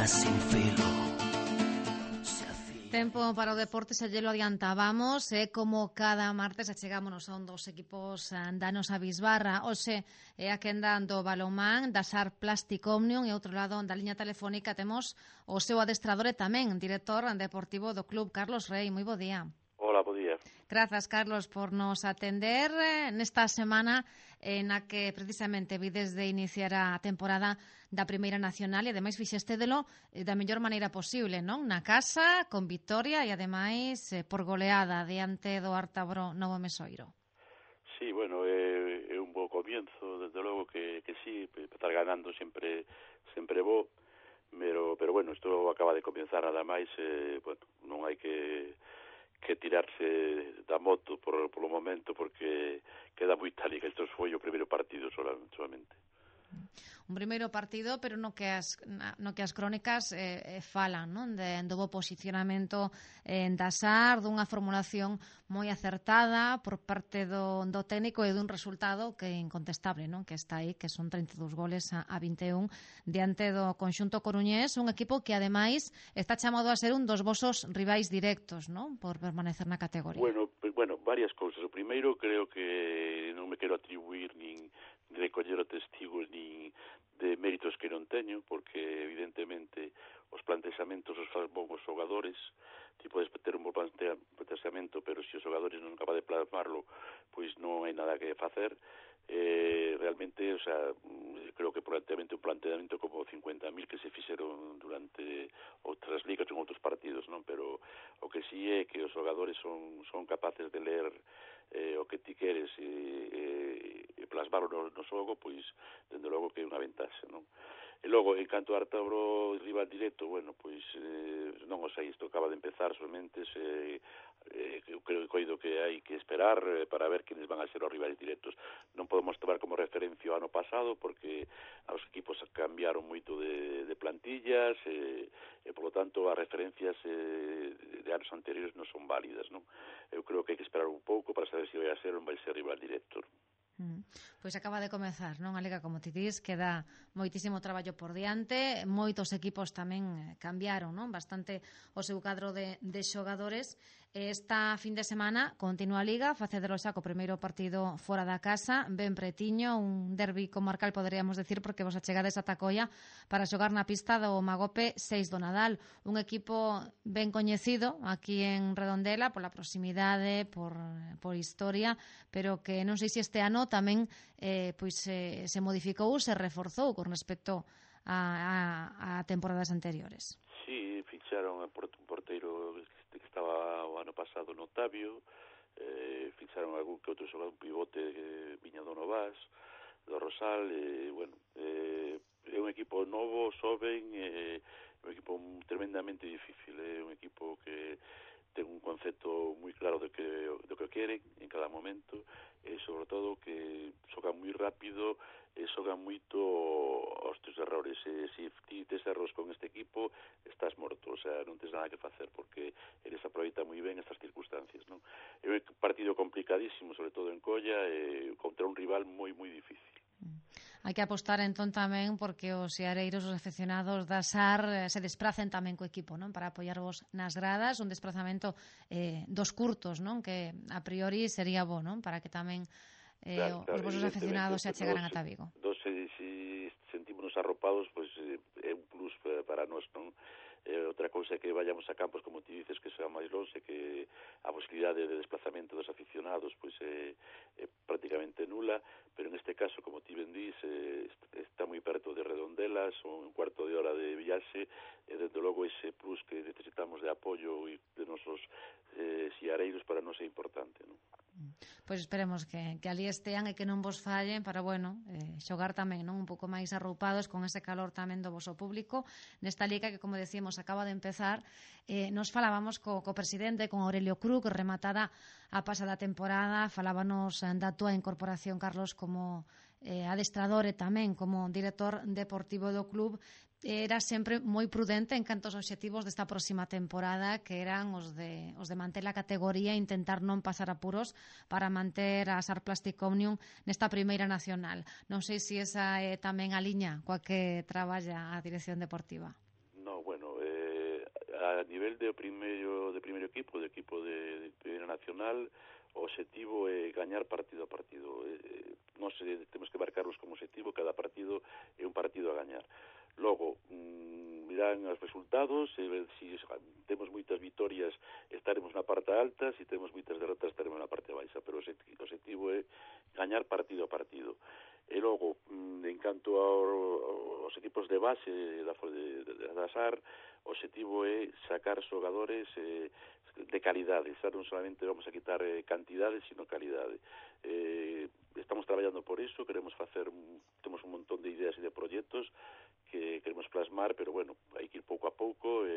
sin filo. Tempo para o deporte, xa lle lo adiantábamos, como cada martes achegámonos a un dos equipos danos a Bisbarra. Hoxe é a quenda do balonmán da SAR Plastic Omnium e outro lado da liña telefónica temos o seu adestrador e tamén director deportivo do club, Carlos Rei. Moi bo día. Hola, bo día. Grazas, Carlos, por nos atender nesta semana na que precisamente vides de iniciar a temporada da Primeira Nacional e ademais fixestedelo da mellor maneira posible, non? Na casa, con vitoria e ademais por goleada diante do Artabro Novo Mesoiro. Sí, bueno, é un bo comienzo, desde logo que sí, estar ganando sempre bo, pero bueno, isto acaba de comenzar nada máis, bueno, non hai que tirarse da moto polo momento porque queda moi tal e que isto foi o primeiro partido solamente. Un primeiro partido, pero no que as crónicas falan, non? Do bo posicionamento da SAR, dunha formulación moi acertada por parte do técnico e dun resultado que é incontestable, non? Que está aí, que son 32 goles a 21 diante do conxunto coruñés, un equipo que ademais está chamado a ser un dos vosos rivais directos, non? Por permanecer na categoría. Bueno, varias cousas. O primeiro, creo que non me quero atribuir nin recoller o testigos nin de méritos que non teño, porque evidentemente os plantexamentos os fan bons os xogadores, ti podes ter un bon plantexamento, pero se os xogadores non acaba de plasmarlo, pois non hai nada que facer. Realmente, o sea, creo que un planteamento como 50.000 que se fixeron durante outras ligas en outros partidos, non? Pero o que sí é que os xogadores son capaces de ler o que ti queres e plasmarlo no xogo, pois, dende logo que é unha ventaxa, non? E logo, en canto a Artabro rival directo, bueno, pois, non o sei, isto acaba de empezar somente, eu creo que hai que esperar para ver quenes van a ser os rivais directos. Non podemos tomar como referencia o ano pasado, porque os equipos cambiaron moito de plantillas, e, polo tanto, as referencias de anos anteriores non son válidas, non? Eu creo que hai que esperar un pouco para saber se vai a ser ou non vai ser rival directo. Pois acaba de comezar, non? A Liga, como ti dis, queda moitísimo traballo por diante, moitos equipos tamén cambiaron, non? Bastante o seu cadro de xogadores. Esta fin de semana continúa a Liga, facedelo xa co primeiro partido fora da casa, ben pretiño, un derbi comarcal, poderíamos decir, porque vos achegades a Tacoia para xogar na pista do Magope 6 do Nadal, un equipo ben coñecido aquí en Redondela pola proximidade, por historia, pero que non sei se este ano tamén se modificou, se reforzou con respecto a temporadas anteriores. Sí, ficharon un porteiro que estaba o ano pasado no Otavio, ficharon algún que outro xogador, un pivote viña do Novas, do Rosal, bueno, é un equipo novo, soben, un equipo tremendamente difícil, é un equipo que ten un concepto moi claro do que queren en cada momento, e sobre todo que xogan moi rápido e xogan moito aos teus errores. Se ti tes erros con este equipo, estás morto, o sea, non tens nada que facer, porque eles aproveitan moi ben estas circunstancias, non? É un partido complicadísimo, sobre todo en Colla, contra un rival moi, moi difícil. Hai que apostar entón tamén porque os seareiros, os aficionados da SAR se despracen tamén co equipo, non? Para apoiarvos nas gradas, un desplazamento dos curtos, non? Que a priori sería bo, non? Para que tamén os vosos aficionados se achegaran ata Vigo. Se sentímonos arropados, pois é un plus para nós, non? Outra cousa é que vayamos a campos, como ti dices, que sea máis longe, que a posibilidade de desplazamento dos aficionados pois é prácticamente nula, pero en este caso, como ti ben dís, está moi perto de Redondela, son un cuarto de hora de viaxe, e desde logo ese plus que necesitamos de apoio e de nosos xiareiros para nós é importante, non? Pois esperemos que ali estean e que non vos fallen para, bueno, xogar tamén, non? Un pouco máis arroupados con ese calor tamén do voso público nesta liga que, como decíamos, acaba de empezar. Nos falábamos co presidente, con Aurelio Cruz, que rematada a pasada temporada, falábanos da túa incorporación, Carlos, como adestrador e tamén como director deportivo do club. Era sempre moi prudente en canto aos obxectivos desta próxima temporada, que eran os de manter a categoría e intentar non pasar apuros para manter a SAR Plastic Omnium nesta primeira nacional. Non sei se esa é tamén a liña coa que traballa a dirección deportiva. No, nivel de primeiro equipo, de primeira nacional, o obxectivo é gañar partido a partido. Nós temos que marcarlos como obxectivo, cada partido é un partido a gañar. Logo, mirán os resultados, se temos moitas vitorias estaremos na parte alta, se temos moitas derrotas estaremos na parte baixa, pero o obxectivo é gañar partido a partido. E logo, en canto aos equipos de base da SAR, o obxectivo é sacar xogadores de calidade, non solamente vamos a quitar cantidade, sino calidade. Estamos traballando por iso, temos un montón de ideas e de proxectos que queremos plasmar, pero bueno, hai que ir pouco a pouco,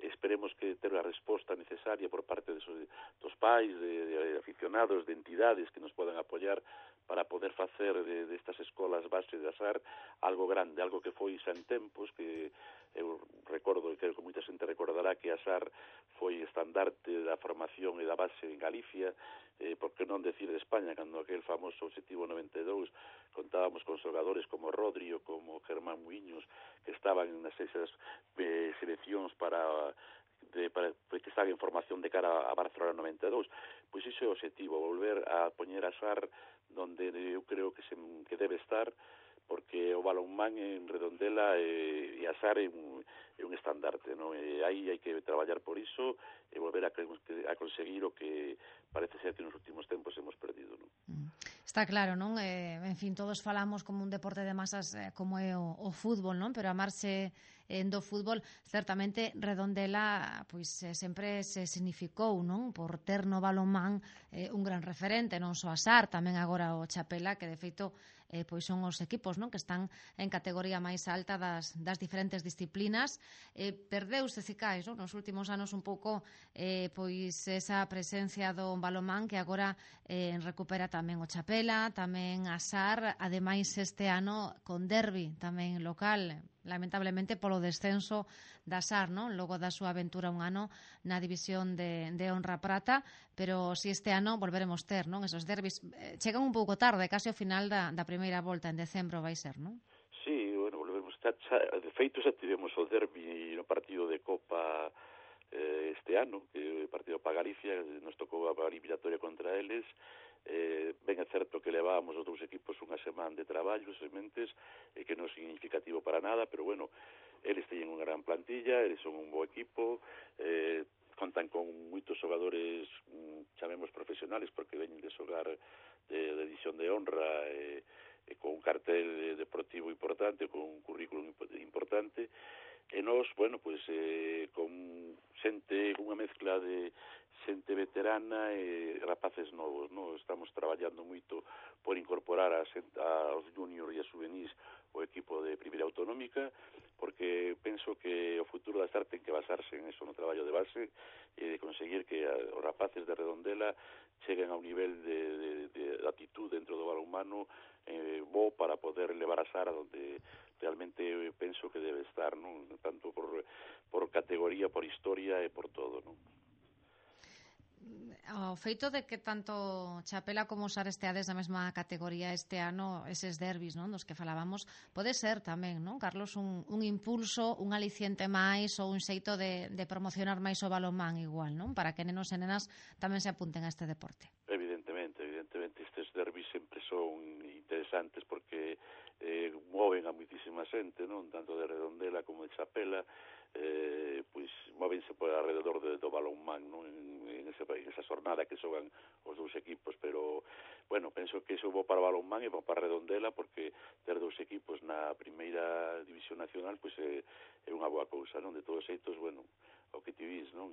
esperemos que ter a resposta necesaria por parte dos pais, de aficionados, de entidades que nos podan apoiar para poder facer destas escolas base de SAR algo grande, algo que foi xa en tempos, que eu recordo, e creo que moita xente recordará que a SAR foi estandarte da formación e da base en Galicia, por que non decir de España, cando aquel famoso Obxectivo 92 contábamos con xogadores como Rodri ou como Germán Muiños, que estaban nas esas seleccións que estaban en formación de cara a Barcelona 92. Pois iso é o obxectivo, volver a poñer a SAR donde eu creo que debe estar, porque o balonmán en Redondela e a SAR é un estandarte, non? E aí hai que traballar por iso e volver a conseguir o que parece ser que nos últimos tempos hemos perdido, non? Está claro, non? En fin, todos falamos como un deporte de masas como é o fútbol, non? Pero a marxe do fútbol, certamente Redondela pois sempre se significou, non? Por ter no balonmán un gran referente, non só a SAR, tamén agora o Chapela, que de feito pois son os equipos, non, que están en categoría máis alta das diferentes disciplinas. Perdeuse, se caes, non, nos últimos anos un pouco pois esa presencia do balonmán, que agora recupera tamén o Chapela, tamén a SAR, ademais este ano con derbi tamén local, lamentablemente polo descenso da SAR, non? Logo da súa aventura un ano na división de honra prata, pero si este ano volveremos ter, non? Esos derbis chegan un pouco tarde, case ao final da primeira volta en decembro vai ser, non? Sí, bueno, volvemos de feito xa tivemos o derbi no partido de Copa este ano, que o partido para Galicia nos tocou a eliminatoria contra eles. Ben é certo que levábamos os dous equipos unha semana de traballo, sementes, que non é significativo para nada, pero bueno, eles teñen unha gran plantilla, eles son un bo equipo, contan con moitos xogadores, chamemos profesionales, porque veñen de xogar de edición de honra, con un cartel deportivo importante, con un currículum importante, e nós, bueno, pois, con unha mezcla de xente veterana e rapaces novos, non? Estamos traballando moito por incorporar aos junior e a juvenís o equipo de primeira autonómica, porque penso que o futuro da SAR ten que basarse en eso, no traballo de base, e de conseguir que os rapaces de Redondela cheguen a un nivel de actitud dentro do balonmano bo para poder levar a SAR a donde realmente penso que debe estar, non? Tanto por categoría, por historia e por todo, non? O feito de que tanto Chapela como SAR esteades na mesma categoría este ano, eses derbis, non, dos que falábamos, pode ser tamén, non, Carlos, un impulso, un aliciente máis ou un xeito de promocionar máis o balonmán igual, non, para que nenos e nenas tamén se apunten a este deporte. Evidentemente, estes derbis sempre son interesantes porque moven a moitísima xente, non, tanto de Redondela como de Chapela, pois móvense por alrededor do balonmán, non, en esa jornada que xogan os dous equipos, pero bueno, penso que iso é bo para o balonmán e bo para Redondela, porque ter dous equipos na primeira división nacional pois é unha boa cousa, non? De todos xeitos, bueno, o que ti vis, non?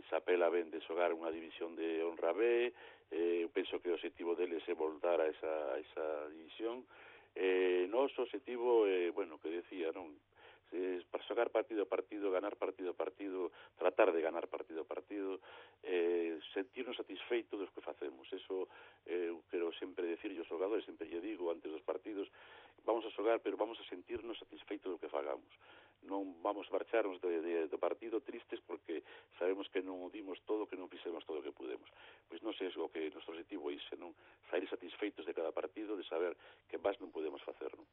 Chapela ven de xogar unha división de honra B, eu penso que o objetivo deles é voltar a esa división. Noso objetivo é, bueno, que decía, non? Para xogar partido a partido, ganar partido a partido, tratar de ganar partido a partido, sentirnos satisfeitos dos que facemos. Eso eu quero sempre decir aos xogadores, sempre lle digo antes dos partidos, vamos a xogar, pero vamos a sentirnos satisfeitos do que fagamos. Non vamos a marcharnos do partido tristes porque sabemos que non o dimos todo, que non fixemos todo o que pudemos. Pois non sei o que noso objetivo é ese, non? Sair satisfeitos de cada partido, de saber que máis non podemos facer, non?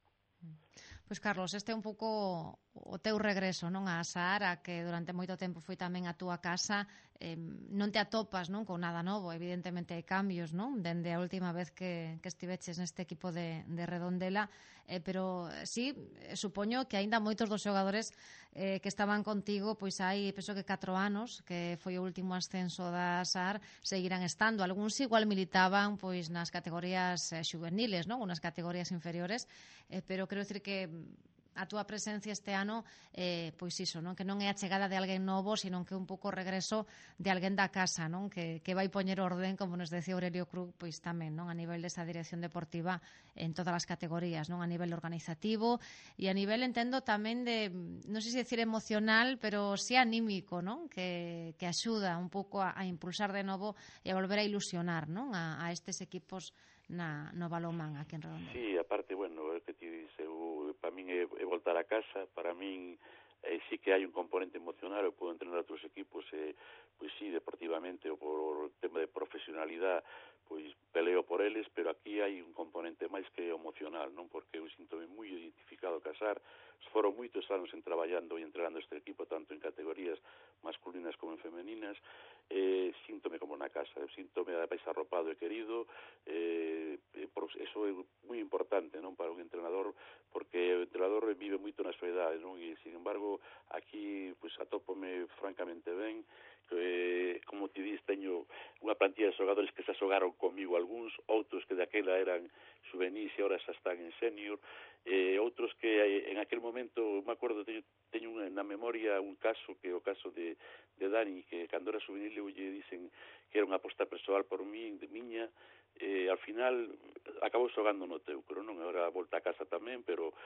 Pois, Carlos, este é un pouco teu regreso, non, a Saara, que durante moito tempo foi tamén a túa casa, non te atopas, non, con nada novo, evidentemente hai cambios, non, dende a última vez que estiveches neste equipo de Redondela, pero sí, supoño que aínda moitos dos xogadores que estaban contigo, pois hai, penso que 4 anos, que foi o último ascenso da SAR, seguirán estando. Algúns igual militaban pois nas categorías xuveniles, non, ou nas categorías inferiores, pero quero dicir que a túa presencia este ano, pois iso, non, que non é a chegada de alguén novo, sino que un pouco o regreso de alguén da casa, non, que vai poñer orden, como nos decía Aurelio Cruz, pois tamén, non, a nivel desa dirección deportiva en todas as categorías, non, a nivel organizativo e a nivel, entendo, tamén de, non sei se decir emocional, pero sí anímico, non, que axuda un pouco a impulsar de novo e a volver a ilusionar, non, a estes equipos no balonmán aquí en Redondela. Sí, aparte, bueno, que ti dice, para min é voltar a casa, para min sí que hai un componente emocional, eu podo entrenar outros equipos, pois sí, deportivamente ou por tema de profesionalidade, pois peleo por eles, pero aquí hai un componente máis que emocional, non, porque eu sinto-me moi identificado a casar, foron moitos anos traballando e entrenando este equipo, tanto en categorías masculinas como en femeninas, síntome como na casa, síntome máis arropado e querido, eso é moi importante, non, para un entrenador, porque o entrenador vive moito na soidade, non, e sin embargo aquí pois atópome francamente ben, como te dis, teño unha plantilla de xogadores que se xogaron comigo algúns, outros que daquela eran juvenis e ahora xa están en senior, outros que en aquel momento, me acordo, teño na memoria un caso, que é o caso de Dani, que cando era juvenil eu lle dicen que era unha aposta persoal por mí, de miña, al final acabou xogando no Teucro, non? Agora volta a casa tamén, pero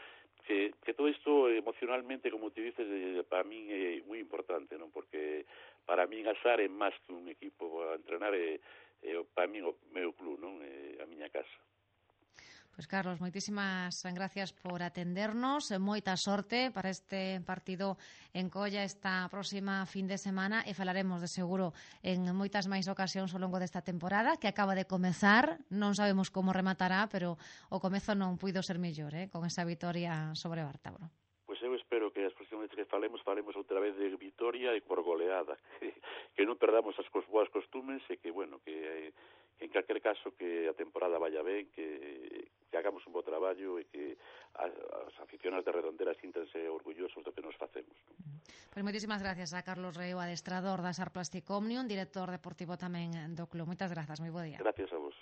que todo isto emocionalmente, como te dices, para min é moi importante, non? Porque para min a SAR é máis que un equipo a entrenar, para min o meu club, non? A miña casa. Pois Carlos, moitísimas gracias por atendernos, moita sorte para este partido en Colla esta próxima fin de semana e falaremos de seguro en moitas máis ocasións ao longo desta temporada que acaba de comezar, non sabemos como rematará, pero o comezo non puido ser mellor, con esa vitoria sobre Bártabro. Pois eu espero que as próximas veces que falemos outra vez de vitoria e por goleada, que non perdamos as boas costumes e que, bueno, que en calquer caso que a temporada vaya ben, que hagamos un bo traballo e que as aficionados de Redondela síntanse orgullosos do que nos facemos. Pois moitísimas gracias a Carlos Reo, adestrador da SAR Plastic Omnium, director deportivo tamén do club. Moitas grazas, moi bo día. Gracias a vos.